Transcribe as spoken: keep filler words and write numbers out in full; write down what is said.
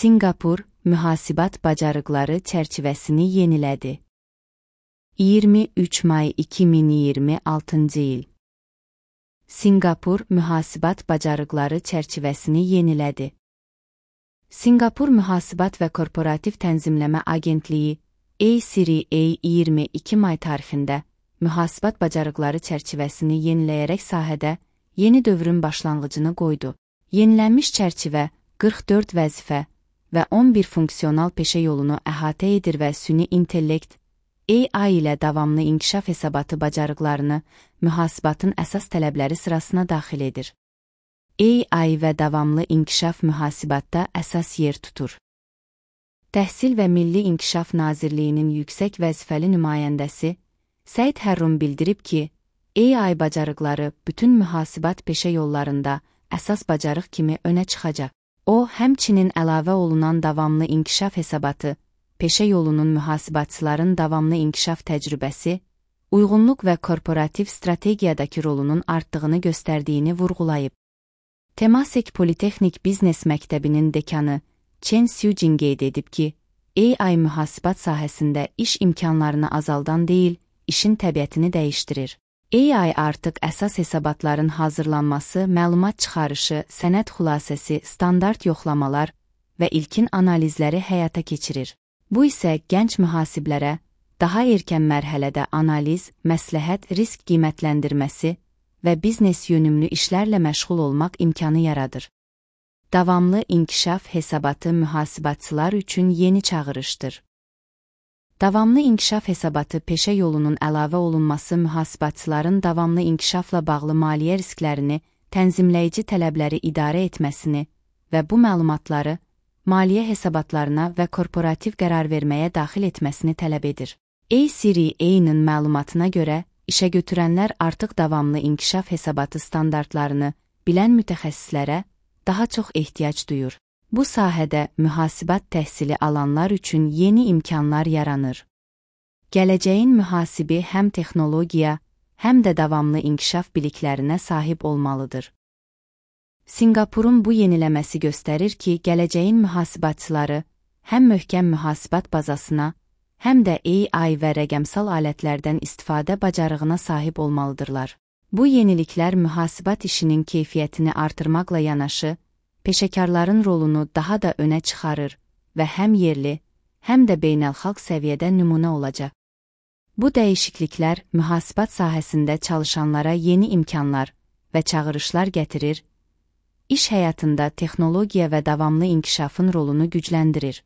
Sinqapur mühasibat bacarıqları çərçivəsini yenilədi. iyirmi üç may iki min iyirmi altıncı il. Sinqapur mühasibat bacarıqları çərçivəsini yenilədi. Sinqapur Mühasibat və Korporativ Tənzimləmə Agentliyi A C R A iyirmi iki may tarixində mühasibat bacarıqları çərçivəsini yeniləyərək sahədə yeni dövrün başlanğıcını qoydu. Yenilənmiş çərçivə qırx dörd vəzifə və on bir funksional peşə yolunu əhatə edir və süni intellekt A I ilə davamlı inkişaf hesabatı bacarıqlarını mühasibatın əsas tələbləri sırasına daxil edir. A I və davamlı inkişaf mühasibatda əsas yer tutur. Təhsil və Milli İnkişaf Nazirliyinin yüksək vəzifəli nümayəndəsi Səid Hərrum bildirib ki, A I bacarıqları bütün mühasibat peşə yollarında əsas bacarıq kimi önə çıxacaq. O, həmçinin əlavə olunan davamlı inkişaf hesabatı, peşə yolunun mühasibatçıların davamlı inkişaf təcrübəsi, uyğunluq və korporativ strategiyadakı rolunun artdığını göstərdiyini vurğulayıb. Temasek Politexnik Biznes Məktəbinin dekanı Chen Xiujin qeyd edib ki, A I mühasibat sahəsində iş imkanlarını azaldan deyil, işin təbiətini dəyişdirir. A I artıq əsas hesabatların hazırlanması, məlumat çıxarışı, sənəd xülasəsi, standart yoxlamalar və ilkin analizləri həyata keçirir. Bu isə gənc mühasiblərə daha erkən mərhələdə analiz, məsləhət, risk qiymətləndirməsi və biznes yönümlü işlərlə məşğul olmaq imkanı yaradır. Davamlı inkişaf hesabatı mühasibatçılar üçün yeni çağırışdır. Davamlı inkişaf hesabatı peşə yolunun əlavə olunması mühasibatçıların davamlı inkişafla bağlı maliyyə risklərini, tənzimləyici tələbləri idarə etməsini və bu məlumatları maliyyə hesabatlarına və korporativ qərar verməyə daxil etməsini tələb edir. A C R A-nın məlumatına görə, işə götürənlər artıq davamlı inkişaf hesabatı standartlarını bilən mütəxəssislərə daha çox ehtiyac duyur. Bu sahədə mühasibat təhsili alanlar üçün yeni imkanlar yaranır. Gələcəyin mühasibi həm texnologiya, həm də davamlı inkişaf biliklərinə sahib olmalıdır. Sinqapurun bu yeniləməsi göstərir ki, gələcəyin mühasibatçıları həm möhkəm mühasibat bazasına, həm də A I və rəqəmsal alətlərdən istifadə bacarığına sahib olmalıdırlar. Bu yeniliklər mühasibat işinin keyfiyyətini artırmaqla yanaşı, peşəkarların rolunu daha da önə çıxarır və həm yerli, həm də beynəlxalq səviyyədə nümunə olacaq. Bu dəyişikliklər mühasibat sahəsində çalışanlara yeni imkanlar və çağırışlar gətirir, iş həyatında texnologiya və davamlı inkişafın rolunu gücləndirir.